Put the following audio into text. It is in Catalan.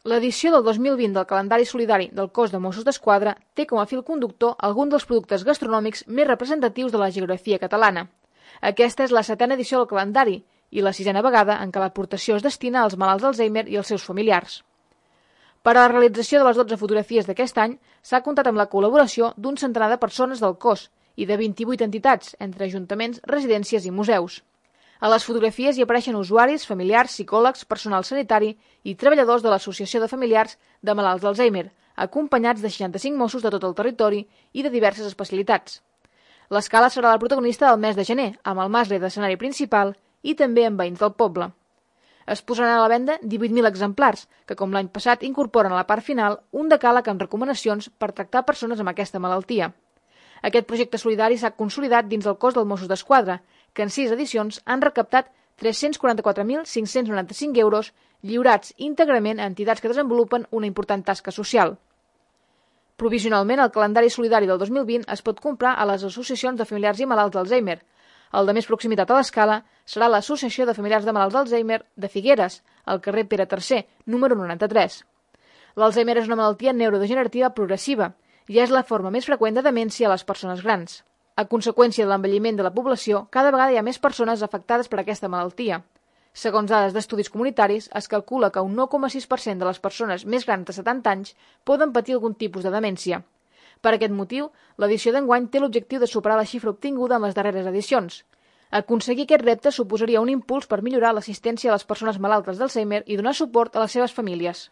L'edició del 2020 del calendari solidari del Cos de Mossos d'Esquadra té com a fil conductor alguns dels productes gastronòmics més representatius de la geografia catalana. Aquesta és la 7a edició del calendari i la 6a vegada en què l'aportació es destina als malalts d'Alzheimer i als seus familiars. Per a la realització de les 12 fotografies d'aquest any s'ha comptat amb la col·laboració d'un centenar de persones del cos i de 28 entitats, entre ajuntaments, residències i museus. A les fotografies hi apareixen usuaris, familiars, psicòlegs, personal sanitari i treballadors de l'Associació de Familiars de Malalts d'Alzheimer, acompanyats de 65 Mossos de tot el territori i de diverses especialitats. L'escala serà la protagonista del mes de gener, amb el mascle d'escenari principal i també amb veïns del poble. Es posaran a la venda 18.000 exemplars, que com l'any passat incorporen a la part final un decàleg amb recomanacions per tractar persones amb aquesta malaltia. Aquest projecte solidari s'ha consolidat dins el cos del Mossos d'Esquadra, que en 6 edicions han recaptat 344.595 euros lliurats íntegrament a entitats que desenvolupen una important tasca social. Provisionalment, el calendari solidari del 2020 es pot comprar a les associacions de familiars i malalts d'Alzheimer. El de més proximitat a l'escala serà l'Associació de Familiars de Malalts d'Alzheimer de Figueres, al carrer Pere III, número 93. L'Alzheimer és una malaltia neurodegenerativa progressiva i és la forma més freqüent de demència a les persones grans. A conseqüència de l'envelliment de la població, cada vegada hi ha més persones afectades per aquesta malaltia. Segons dades d'estudis comunitaris, es calcula que un 9,6% de les persones més grans de 70 anys poden patir algun tipus de demència. Per aquest motiu, l'edició d'enguany té l'objectiu de superar la xifra obtinguda en les darreres edicions. Aconseguir aquest repte suposaria un impuls per millorar l'assistència a les persones malaltes d'Alzheimer i donar suport a les seves famílies.